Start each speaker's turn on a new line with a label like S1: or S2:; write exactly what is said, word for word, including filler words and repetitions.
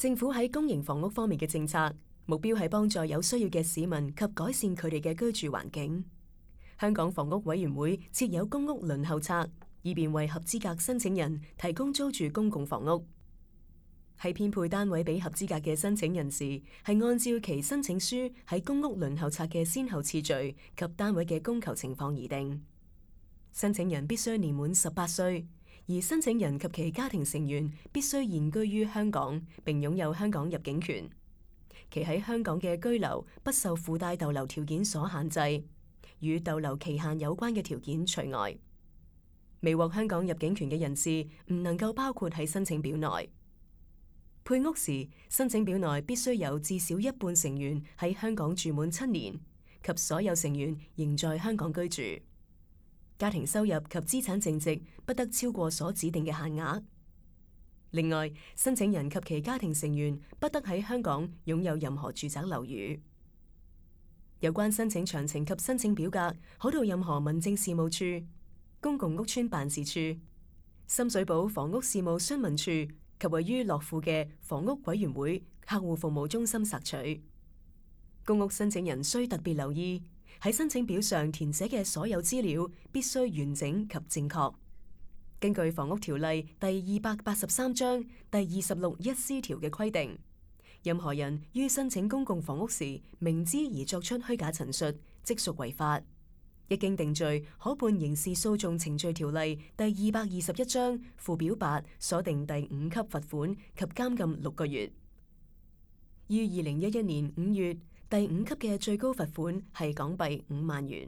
S1: 政府喺公營房屋方面嘅政策，目標係幫助有需要嘅市民及改善佢哋嘅居住環境。香港房屋委員會設有公屋輪候冊，以便為合資格申請人提供租住公共房屋。喺編配單位俾合資格嘅申請人時，係按照其申請書喺公屋輪候冊嘅先後次序及單位嘅供求情況而定。申請人必須年滿十八歲，而申請人及其家庭成員必須現居於香港，並擁有香港入境權。其喺香港嘅居留不受附帶逗留條件所限制，與逗留期限有關嘅條件除外。未獲香港入境權嘅人士唔能夠包括喺申請表內。配屋時，申請表內必須有至少一半成員喺香港住滿七年，及所有成員仍在香港居住。家庭收入及資產淨值不得超過所指定嘅限額。另外，申請人及其家庭成員不得喺香港擁有任何住宅樓宇。有關申請詳情及申請表格，可到任何民政事務處、公共屋邨辦事處、深水埗房屋事務詢問處及位於樂富嘅房屋委員會客戶服務中心索取。公屋申請人需特別留意，喺申請表上填寫嘅所有資料必須完整及正確。根據房屋條例第二百八十三章第二十六一 C 條嘅規定，任何人於申請公共房屋時明知而作出虛假陳述，即屬違法。一經定罪，可判刑事訴訟程序條例第二百二十一章附表八所定第五級罰款及監禁六個月。於二零一一年五月，第五級嘅最高罰款係港幣五萬元。